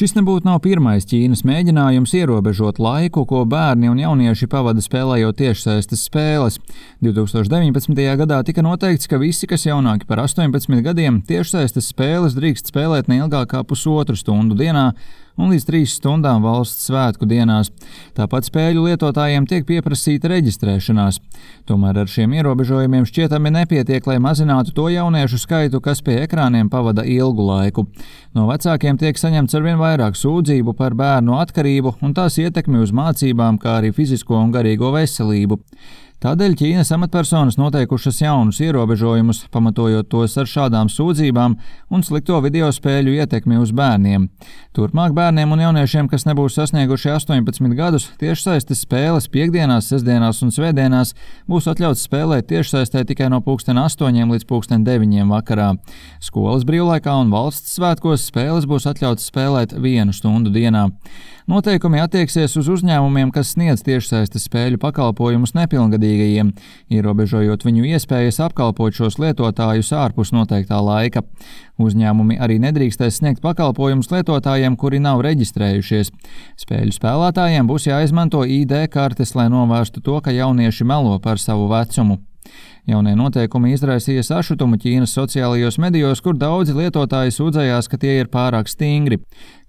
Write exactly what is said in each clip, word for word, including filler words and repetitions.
Šis nebūtu nav pirmais Ķīnas mēģinājums ierobežot laiku, ko bērni un jaunieši pavada spēlējot tiešsaistes spēles. divtūkstoš deviņpadsmitajā gadā tika noteikts, ka visi, kas jaunāki par astoņpadsmit gadiem, tiešsaistes spēles drīkst spēlēt neilgāk kā pusotru stundu dienā un līdz trīs stundām valsts svētku dienās. Tāpat spēļu lietotājiem tiek pieprasīta reģistrēšanās. Tomēr ar šiem ierobežojumiem šķietami nepietiek, lai mazinātu to jauniešu skaitu, kas pie ekrāniem pavada ilgu laiku. No vecākiem tiek saņemts arvien vairāk sūdzību par bērnu atkarību un tās ietekmi uz mācībām, kā arī fizisko un garīgo veselību. Tādēļ Ķīnas amatpersonas noteikušas jaunus ierobežojumus, pamatojot tos ar šādām sūdzībām un slikto video spēļu ietekmi uz bērniem. Turpmāk bērniem un jauniešiem, kas nebūs sasnieguši astoņpadsmit gadus, tiešsaistes spēles piekdienās, sestdienās un svētdienās būs atļauts spēlēt tiešsaistē tikai no pulksten astoņiem līdz pulksten deviņiem vakarā. Skolas brīvlaikā un valsts svētkos spēles būs atļauts spēlēt vienu stundu dienā. Noteikumi attieksies uz uzņēmumiem, kas sniedz tiešsaistes spēļu pakalpojumus nepilngadīgajiem, ierobežojot viņu iespējas apkalpot šos lietotājus ārpus noteiktā laika. Uzņēmumi arī nedrīkstēs sniegt pakalpojumus lietotājiem, kuri nav reģistrējušies. Spēļu spēlētājiem būs jāizmanto I D kartes, lai novērstu to, ka jaunieši melo par savu vecumu. Jaunie noteikumi izraisīja sašutumu Ķīnas sociālajos medijos, kur daudzi lietotāji sūdzējās, ka tie ir pārāk stingri.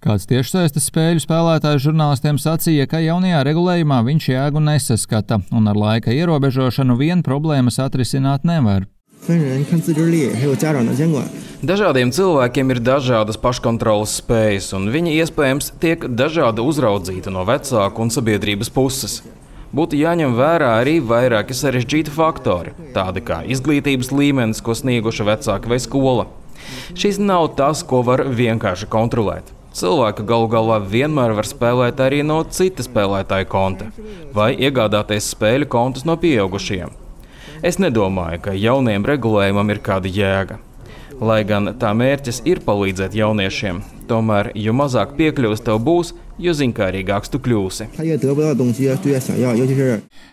Kāds tiešsaistes spēļu spēlētājs žurnālistiem sacīja, ka jaunajā regulējumā viņš jēgu nesaskata, un ar laika ierobežošanu vien problēmas atrisināt nevar. Dažādiem cilvēkiem ir dažādas paškontroles spējas, un viņi iespējams tiek dažādi uzraudzīti no vecāku un sabiedrības puses. Būtu jāņem vērā arī vairāki sarežģīti faktori, tādi kā izglītības līmenis, ko snieguši vecāki vai skola. Šis nav tas, ko var vienkārši kontrolēt. Cilvēki galu galā vienmēr var spēlēt arī no cita spēlētāja konta vai iegādāties spēļu kontus no pieaugušiem. Es nedomāju, ka jauniem regulējumam ir kāda jēga. Lai gan tā mērķis ir palīdzēt jauniešiem, tomēr, jo mazāk piekļuvs tev būs, jo zinkārīgāks tu kļūsi.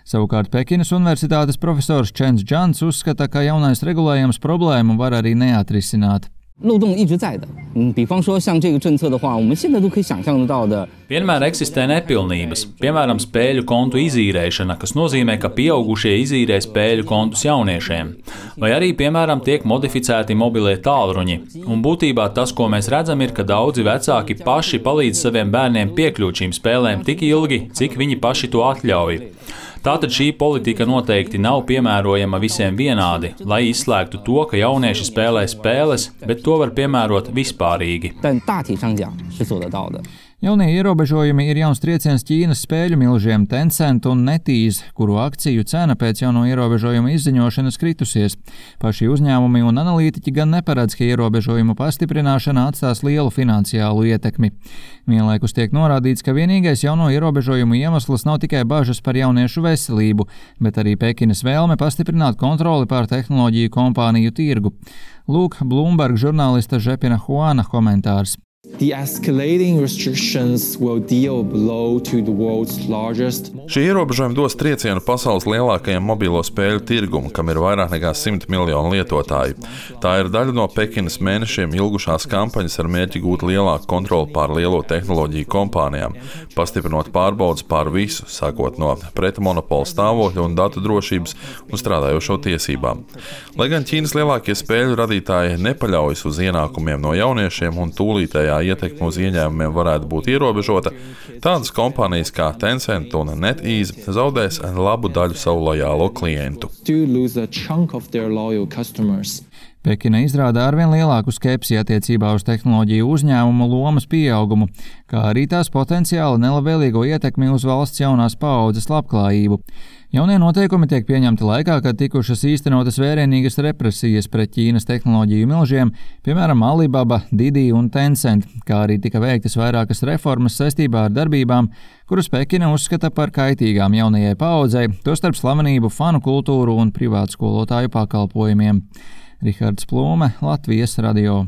Savukārt Pekinas universitātes profesors Čens Džans uzskata, ka jaunais regulējums problēmu var arī neatrisināt. Vienmēr eksistē nepilnības, piemēram, spēļu kontu izīrēšana, kas nozīmē, ka pieaugušie izīrē spēļu kontus jauniešiem, vai arī, piemēram, tiek modificēti mobilie tālruņi. Un būtībā tas, ko mēs redzam, ir, ka daudzi vecāki paši palīdz saviem bērniem piekļūt šīm spēlēm tik ilgi, cik viņi paši to atļauj. Tātad šī politika noteikti nav piemērojama visiem vienādi, lai izslēgtu to, ka jaunieši spēlē spēles, bet to var piemērot vispārīgi. Jaunie ierobežojumi ir jauns trieciens Ķīnas spēļu milžiem Tencent un NetEase, kuru akciju cena pēc jauno ierobežojumu izziņošanas kritusies. Paši uzņēmumi un analītiķi gan neparedz, ka ierobežojumu pastiprināšana atstās lielu finansiālu ietekmi. Vienlaikus tiek norādīts, ka vienīgais jauno ierobežojumu iemesls nav tikai bažas par jauniešu veselību, bet arī Pekinas vēlme pastiprināt kontroli pār tehnoloģiju kompāniju tirgu. Lūk, Bloomberg žurnālista Žepina Huana komentārs. Šie ierobežojumi dos triecienu pasaules lielākajam mobilo spēļu tirgumu, kam ir vairāk nekā simt miljonu lietotāju. Tā ir daļa no Pekinas mēnešiem ilgušās kampaņas ar mērķi gūt lielāku kontroli pār lielo tehnoloģiju kompānijām, pastiprinot pārbaudes pār visu, sākot no pretmonopola stāvokļa un datu drošības un strādājošo tiesībām. Lai gan Ķīnas lielākie spēļu radītāji nepaļaujas uz ienākumiem no jauniešiem un tūlītējā ietekme uz ieņēmumiem varētu būt ierobežota, tādas kompānijas kā Tencent un NetEase zaudēs labu daļu savu lojālo klientu. Pekina izrāda arvien lielāku skepsi attiecībā uz tehnoloģiju uzņēmumu lomas pieaugumu, kā arī tās potenciāli nelabvēlīgo ietekmi uz valsts jaunās paaudzes labklājību. Jaunie noteikumi tiek pieņemti laikā, kad tikušas īstenotas vērienīgas represijas pret Ķīnas tehnoloģiju milžiem, piemēram, Alibaba, Didi un Tencent, kā arī tika veiktas vairākas reformas saistībā ar darbībām, kuras Pekina uzskata par kaitīgām jaunajai paaudzei, tostarp slavenību, fanu kultūru un privātskolotāju pakalpojumiem. Rihards Plūme, Latvijas radio.